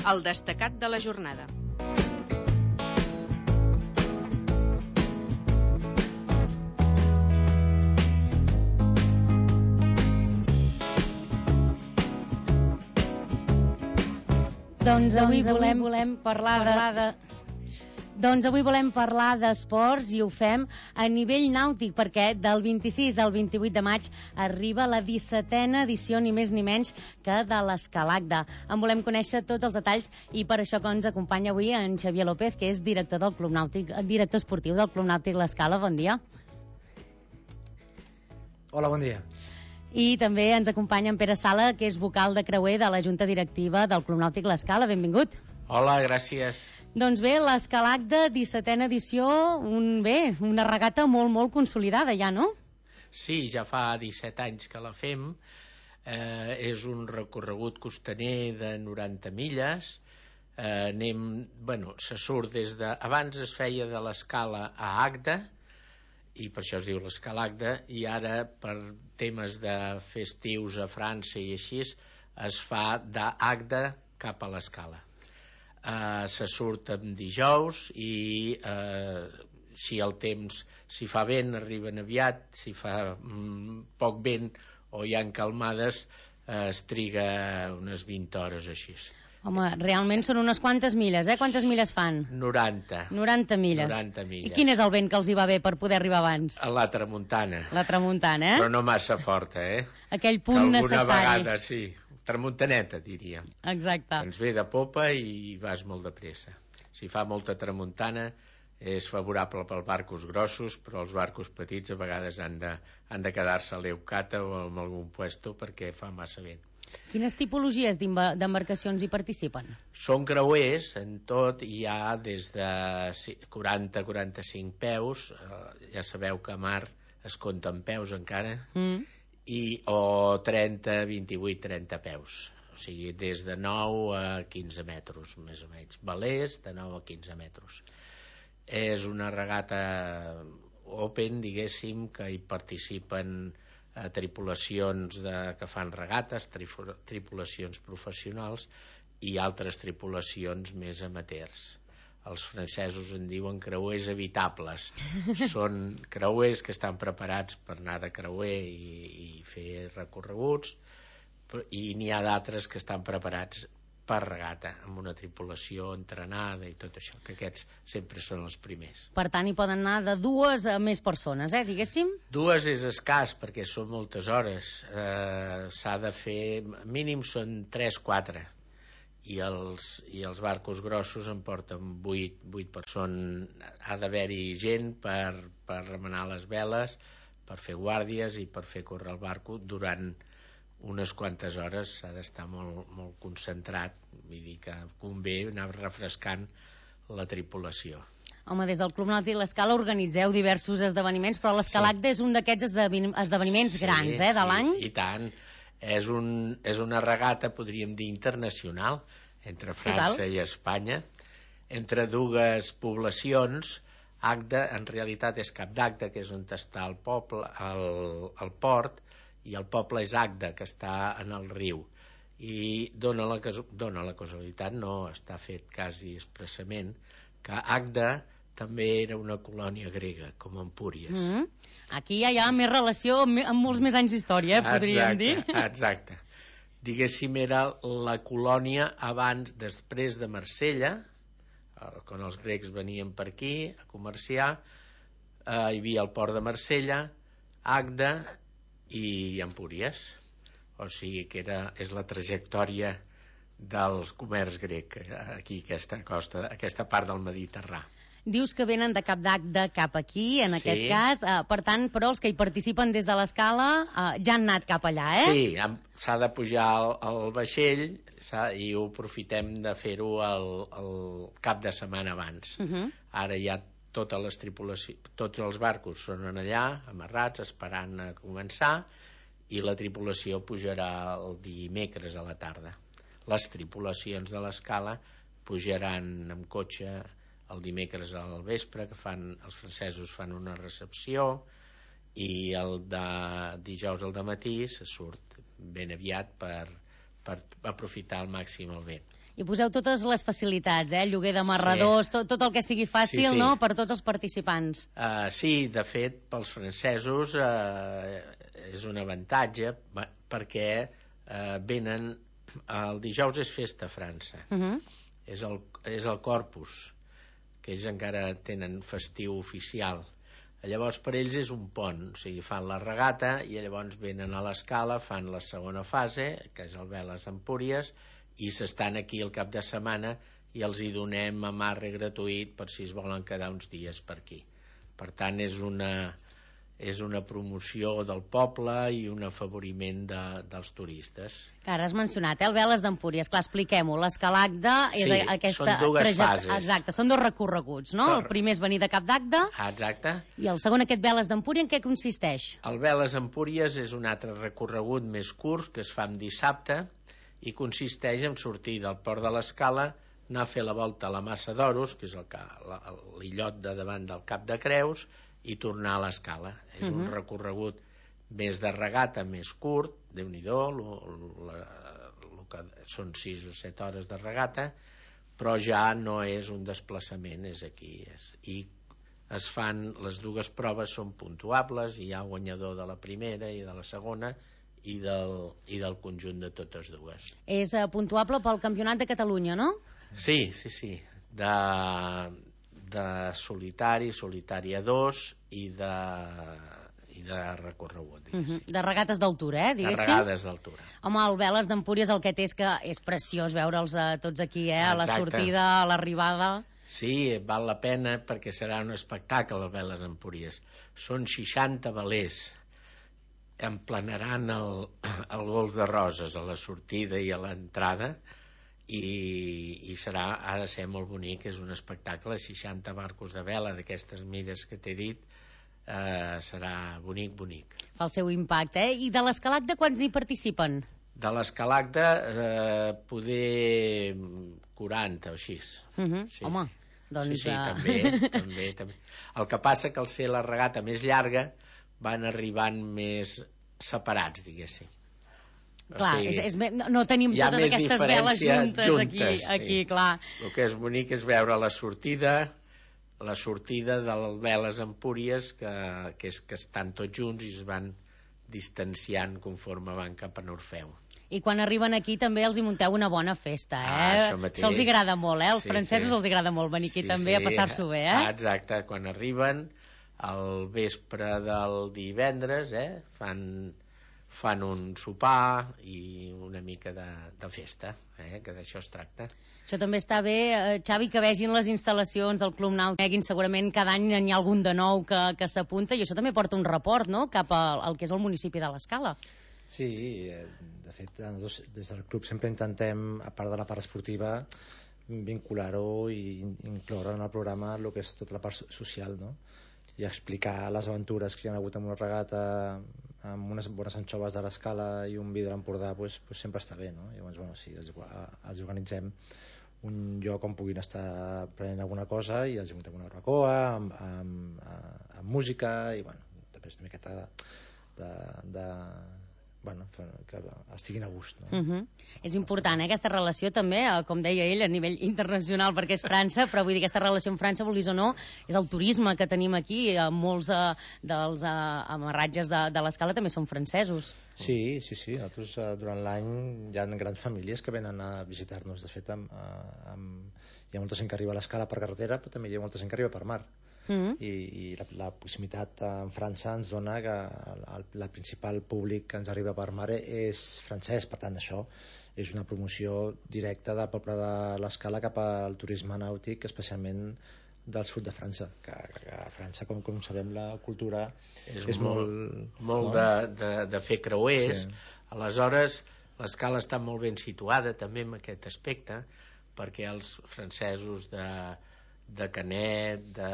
El destacat de la jornada. Doncs avui volem parlar d'esports i ho fem a nivell nàutic perquè del 26 al 28 de maig arriba la 17a edició ni més ni menys que de l'Escalagda. En volem conèixer tots els detalls i per això que ens acompanya avui en Xavier López, que és director del Club Nàutic, director esportiu del Club Nàutic L'Escala. Bon dia. Hola, bon dia. I també ens acompanya en Pere Sala, que és vocal de creuer de la Junta Directiva del Club Nàutic L'Escala. Benvingut. Hola, gràcies. Doncs bé, l'Escalagda, 17a edició, una regata molt consolidada ja, no? Sí, ja fa 17 anys que la fem. És un recorregut costaner de 90 milles. Se surt des de... Abans es feia de l'Escala a Agda, i per això es diu l'Escalagda, i ara per temes de festius a França i així es fa d'Agda cap a l'Escala. Se surt en dijous i si el temps, si fa vent arriben aviat, si fa poc vent o hi ha calmades es triga unes 20 hores així. Home, realment són unes quantes milles, eh? Quantes milles fan? 90. 90 milles. 90 milles. I quin és el vent que els hi va bé per poder arribar abans? La tramuntana. La tramuntana, eh? Però no massa forta, eh? Aquell punt necessari. Alguna vegada, sí. Tramuntaneta, diríem. Exacte. Ens ve de popa i vas molt de pressa. Si fa molta tramuntana és favorable pels barcos grossos, però els barcos petits a vegades han de quedar-se a l'Eucata o en algun puesto perquè fa massa vent. Quines tipologies d'embarcacions hi participen? Són creuers, en tot hi ha des de 40-45 peus, ja sabeu que a mar es compta en peus encara, o 28-30 peus, o sigui, des de 9 a 15 metres, més o menys, velers de 9 a 15 metres. És una regata open, diguéssim, que hi participen tripulacions que fan regates, tripulacions professionals i altres tripulacions més amateurs. Els francesos en diuen creuers habitables. Són creuers que estan preparats per anar de creuer i fer recorreguts, i n'hi ha d'altres que estan preparats per regata, amb una tripulació entrenada i tot això, que aquests sempre són els primers. Per tant, hi poden anar de 2 a més persones, diguéssim? 2 és escàs, perquè són moltes hores. S'ha de fer... Mínim són 3-4. I els barcos grossos en porten 8 persones. Ha d'haver-hi gent per remenar les veles, per fer guàrdies i per fer córrer el barco durant unes quantes hores. S'ha d'estar molt concentrat, vull dir que convé anar refrescant la tripulació. Home, des del Club Nàutic L'Escala organitzeu diversos esdeveniments, però l'Escalagda és un d'aquests esdeveniments grans, de l'any? Sí, i tant. És una regata, podríem dir, internacional, entre França i Espanya, entre dues poblacions. Agda, en realitat, és Cap d'Agda, que és on està el poble, el port, i el poble és Agda, que està en el riu, i dona la casualitat, no està fet quasi expressament, que Agda també era una colònia grega, com Empúries. Aquí ja hi ha més relació amb molts més anys d'història, podríem dir. Exacte. Diguéssim, era la colònia després de Marsella, quan els grecs venien per aquí a comerciar, hi havia el port de Marsella, Agda i Empúries. O sigui que és la trajectòria del comerç grec aquí, aquesta part del Mediterrani. Dius que venen de Cap d'Agda cap aquí, en aquest cas, per tant, però els que hi participen des de l'Escala ja han anat cap allà, Sí, s'ha de pujar al vaixell i ho aprofitem de fer-ho el cap de setmana abans. Ara ja totes les tripulacions, tots els barcos són allà, amarrats, esperant a començar, i la tripulació pujarà el dimecres a la tarda. Les tripulacions de l'Escala pujaran amb cotxe el dimecres al vespre, que els francesos fan una recepció, i el de dijous al dematí se surt ben aviat per aprofitar al màxim el vent. I poseu totes les facilitats, lloguer d'amarradors, tot el que sigui fàcil, no?, per tots els participants. Sí, de fet, pels francesos és un avantatge perquè venen... El dijous és festa a França. És el Corpus, que ells encara tenen festiu oficial. Llavors per ells és un pont, o sigui, fan la regata i llavors venen a l'Escala, fan la segona fase, que és el Veles d'Empúries, i s'estan aquí el cap de setmana i els hi donem amarre gratuït per si es volen quedar uns dies per aquí. Per tant, és una promoció del poble i un afavoriment dels turistes. Ara has mencionat, el Veles d'Empúries. Clar, expliquem-ho. L'Escalagda és aquesta... Són dues fases. Exacte, són dos recorreguts, no? El primer és venir de Cap d'Agde. Exacte. I el segon, aquest Veles d'Empúries, en què consisteix? El Veles d'Empúries és un altre recorregut més curt que es fa en dissabte i consisteix en sortir del port de l'Escala, anar a fer la volta a la Massa d'Oros, que és l'illot de davant del Cap de Creus, i tornar a l'Escala. És un recorregut més de regata, més curt, Déu-n'hi-do, són 6 o 7 hores de regata, però ja no és un desplaçament, és aquí. I es fan, les dues proves són puntuables, hi ha guanyador de la primera i de la segona, i del conjunt de totes dues. És puntuable pel Campionat de Catalunya, no? Sí. De solitari, solitària 2 i de recorregut, diguéssim. De regates d'altura, diguéssim. De regades d'altura. Home, el Veles d'Empúries el que té és que és preciós veure'ls tots aquí, a la sortida, a l'arribada. Sí, val la pena perquè serà un espectacle el Veles d'Empúries. Són 60 velers. Emplenaran el Golf de Roses a la sortida i a l'entrada, i ha de ser molt bonic. És un espectacle, 60 barcos de vela d'aquestes mides que t'he dit, serà bonic. Fa el seu impacte, I de l'Escalagda quants hi participen? De l'Escalagda poder 40 o així. Sí, home, doncs... Sí, també. El que passa que al ser la regata més llarga van arribant més separats, diguéssim. Clar, no tenim totes aquestes veles juntes aquí, clar. El que és bonic és veure la sortida del Veles Empúries, que estan tots junts i es van distanciant conforme van cap a Orfeu. I quan arriben aquí també els hi munteu una bona festa, Això mateix. Això els agrada molt, Els francesos els agrada molt venir aquí també a passar-s'ho bé, Exacte, quan arriben al vespre del divendres, fan un sopar i una mica de festa, que d'això es tracta. Això també està bé, Xavi, que vegin les instal·lacions del Club Nàutic. Segurament cada any hi ha algun de nou que s'apunta, i això també porta un report, no?, cap al que és el municipi de l'Escala. Sí, de fet, des del club sempre intentem, a part de la part esportiva, vincular-ho i incloure en el programa el que és tota la part social, no?, i explicar les aventures que hi ha hagut en una regata amb unes bones anxoves de l'Escala i un vi de l'Empordà, pues sempre està bé, no? Llavors, sí, els organitzem un lloc on puguin estar prenent alguna cosa i els muntem una barbacoa amb música i, després una miqueta que estiguin a gust, no? És important, aquesta relació també, com deia ell, a nivell internacional, perquè és França, però vull dir, aquesta relació amb França, vulguis o no, és el turisme que tenim aquí. Molts dels amarratges de l'Escala també són francesos. Sí, nosaltres durant l'any hi ha grans famílies que venen a visitar-nos. De fet, hi ha molta gent que arriba a l'Escala per carretera, però també hi ha molta gent que arriba per mar. I la proximitat amb França ens dona que el principal públic que ens arriba per mar és francès. Per tant, això és una promoció directa del poble de l'Escala cap al turisme nàutic, especialment del sud de França, que a França, com sabem, la cultura és molt de fer creuers. Aleshores, l'Escala està molt ben situada també en aquest aspecte, perquè els francesos de Canet, de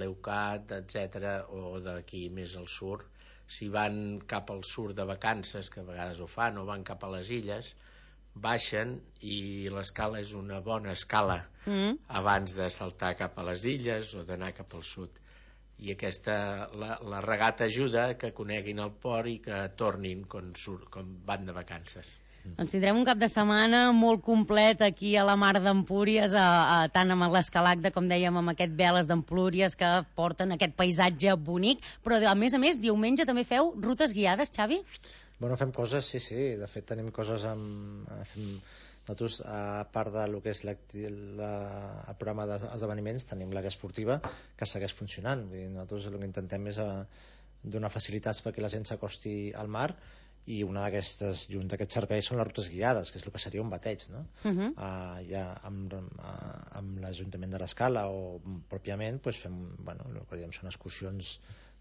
Leucat, etc., o d'aquí més al sud, si van cap al sud de vacances, que a vegades ho fan, o van cap a les illes, baixen, i l'Escala és una bona escala abans de saltar cap a les illes o d'anar cap al sud. I la regata ajuda que coneguin el port i que tornin com van de vacances. Doncs tindrem un cap de setmana molt complet aquí a la Mar d'Empúries, tant amb l'escalacda, com dèiem, amb aquest Veles d'Empúries que porten aquest paisatge bonic, però a més, diumenge també feu rutes guiades, Xavi? Bueno, fem coses, sí. De fet, tenim coses nosaltres, a part del que és el programa d'esdeveniments, tenim l'àrea esportiva que segueix funcionant. Vull dir, nosaltres el que intentem és donar facilitats perquè la gent s'acosti al mar, i un d'aquests serveis són les rutes guiades, que és el que seria un bateig, no? Ja amb l'Ajuntament de l'Escala o pròpiament fem, el que diem són excursions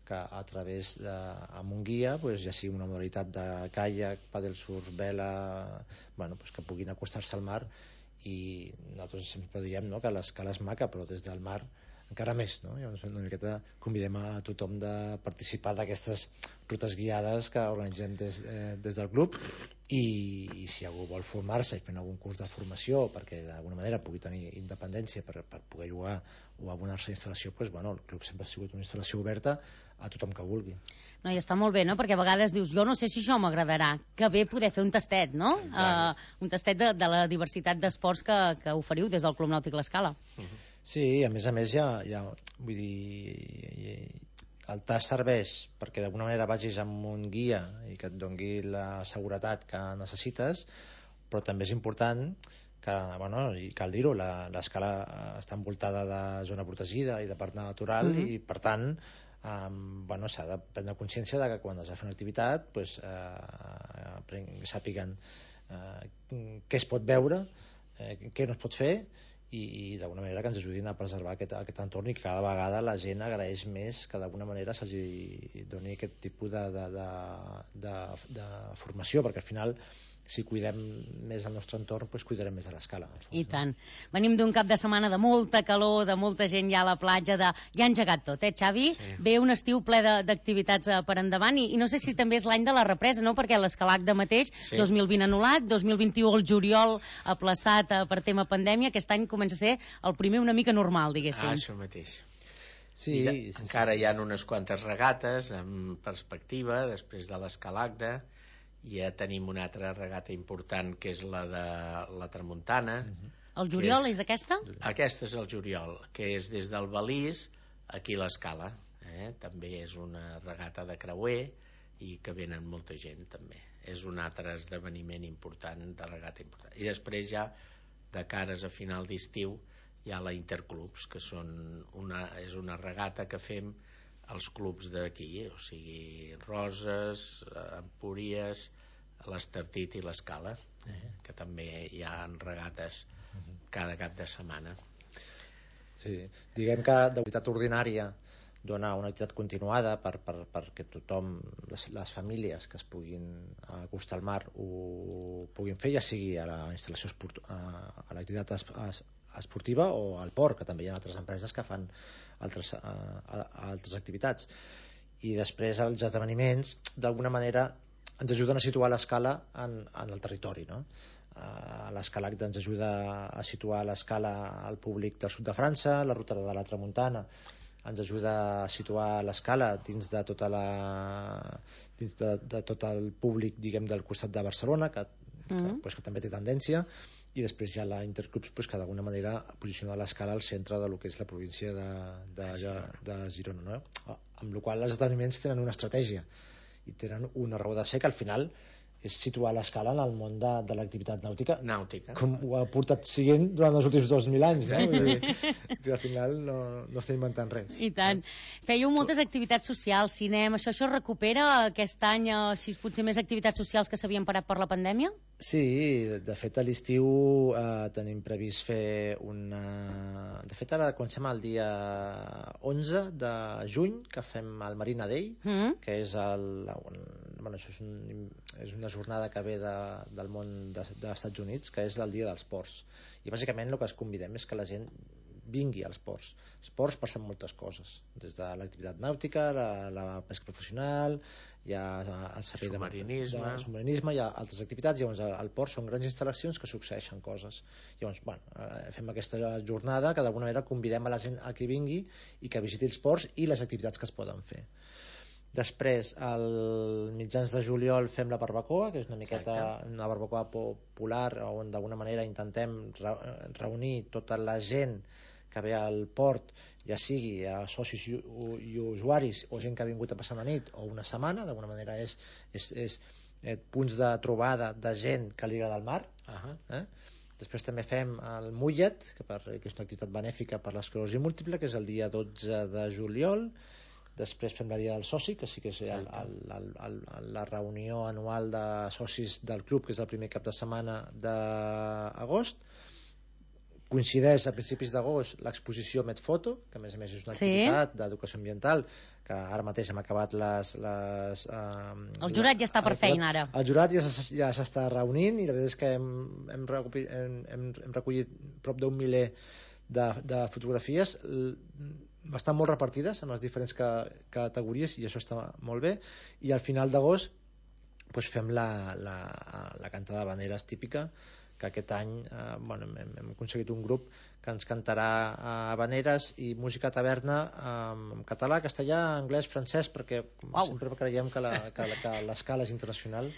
que a través amb un guia, ja sigui una modalitat de caiac, paddlesurf, vela, que puguin acostar-se al mar. I nosaltres sempre diem que l'Escala és maca, però des del mar encara més, no? Llavors una miqueta convidem a tothom de participar d'aquestes rutes guiades que organitzem des del club, i si algú vol formar-se i fer algun curs de formació perquè d'alguna manera pugui tenir independència per poder jugar o abonar-se a instal·lació, el club sempre ha sigut una instal·lació oberta a tothom que vulgui. No, i està molt bé, no? Perquè a vegades dius, jo no sé si això m'agradarà, que bé poder fer un tastet, no? Un tastet de la diversitat d'esports que oferiu des del Club Nàutic L'Escala. Sí, a més vull dir, el tast serveix perquè d'alguna manera vagis amb un guia i que et doni la seguretat que necessites, però també és important que, i cal dir-ho, l'Escala està envoltada de zona protegida i de parc natural, i per tant s'ha de prendre consciència de que quan es va fer una activitat sàpiguen què es pot veure, què no es pot fer, i d'alguna manera que ens ajudin a preservar aquest entorn, i que cada vegada la gent agraeix més que d'alguna manera se'ls doni aquest tipus de formació, perquè al final si cuidem més el nostre entorn, cuidarem més a l'Escala. I tant. Venim d'un cap de setmana de molta calor, de molta gent ja a la platja, ja ha engegat tot, Xavi? Sí. Ve un estiu ple d'activitats per endavant, i no sé si també és l'any de la represa, no? Perquè l'Escalacda mateix, 2020 anul·lat, 2021 el juliol aplaçat per tema pandèmia, aquest any comença a ser el primer una mica normal, diguéssim. Això mateix. Sí, encara hi ha unes quantes regates en perspectiva, després de l'Escalacda. Ja tenim una altra regata important, que és la de la Tramuntana. El juliol és aquesta? Aquesta és el juliol, que és des del Balís aquí a l'Escala. També és una regata de creuer i que venen molta gent també. És un altre esdeveniment important, de regata important. I després ja, de cares a final d'estiu, hi ha la Interclubs, que és una regata que fem els clubs d'aquí, o sigui, Roses, Empúries, l'Estartit i l'Escala, que també hi ha regates cada cap de setmana. Sí, diguem que d'activitat ordinària dona una activitat continuada perquè tothom, les famílies que es puguin acostar al mar ho puguin fer, ja sigui a la instal·lació a l'activitat esportiva o al port, que també hi ha altres empreses que fan altres activitats. I després els esdeveniments d'alguna manera ens ajuden a situar l'Escala en el territori, no? L'Escalacda ens ajuda a situar l'Escala al públic del sud de França, la ruta de la Tramuntana ens ajuda a situar l'Escala dins de tot el públic, diguem, del costat de Barcelona, que també té tendència, i després hi ha la Interclubs, que d'alguna manera posiciona l'Escala al centre del que és la província de Girona, no? Amb la qual cosa els esdeveniments tenen una estratègia i tenen una raó de ser, que al final és situar l'Escala en el món de l'activitat nàutica, com ho ha portat siguent durant els últims 2.000 anys, no? Vull dir, que al final no està inventant res. I tant. Fèieu moltes activitats socials, cinema, això recupera aquest any, si potser més activitats socials que s'havien parat per la pandèmia? Sí, de fet a l'estiu tenim previst fer una... De fet ara comencem el dia 11 de juny, que fem el Marina Day, que és això és una jornada que ve del món dels Estats Units, que és el dia dels ports, i bàsicament el que es convidem és que la gent vingui als ports. Els ports passen moltes coses, des de l'activitat nàutica, la pesca professional, hi ha el servei de submarinisme, hi ha altres activitats. Llavors al port són grans instal·lacions que succeeixen coses. Llavors fem aquesta jornada que d'alguna manera convidem a la gent a que vingui i que visiti els ports i les activitats que es poden fer. Després, al mitjans de juliol fem la barbacoa, que és una miqueta una barbacoa popular on d'alguna manera intentem reunir tota la gent que ve al port, ja sigui a socis i usuaris o gent que ha vingut a passar una nit o una setmana. D'alguna manera és punts de trobada de gent que li agrada el mar. Després també fem el Mullet, que és una activitat benèfica per l'esclerosi múltiple, que és el dia 12 de juliol. Després fem la dia del soci, que sí que és la reunió anual de socis del club, que és el primer cap de setmana d'agost. Coincideix a principis d'agost l'exposició Medfoto, que a més és una activitat d'educació ambiental, que ara mateix hem acabat el jurat ja està per feina ara. El jurat ja s'està reunint i la veritat és que hem recollit prop d'un miler de fotografies bastant molt repartides en les diferents categories, i això està molt bé. I al final d'agost fem la cantada de banderes típica, que aquest any hem aconseguit un grup que ens cantarà habaneres i música taverna en català, castellà, anglès, francès, perquè sempre creiem que l'escala és internacional.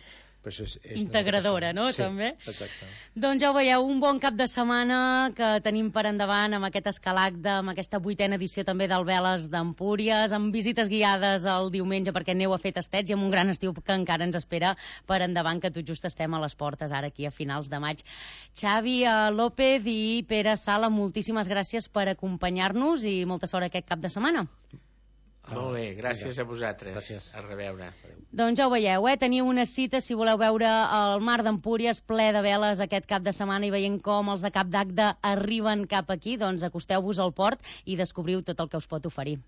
Integradora, no? Sí, també. Exacte. Doncs ja ho veieu, un bon cap de setmana que tenim per endavant amb aquest escalacte, amb aquesta 8a edició també del Veles d'Empúries, amb visites guiades el diumenge perquè aneu a fer tastets i amb un gran estiu que encara ens espera per endavant, que tot just estem a les portes ara aquí a finals de maig. Xavi López i Pere Sala, moltíssimes gràcies per acompanyar-nos i molta sort aquest cap de setmana. Molt bé, gràcies a vosaltres. Gràcies. A reveure. Doncs ja ho veieu, teniu una cita si voleu veure el mar d'Empúries ple de veles aquest cap de setmana i veient com els de Cap d'Agde arriben cap aquí, doncs acosteu-vos al port i descobriu tot el que us pot oferir.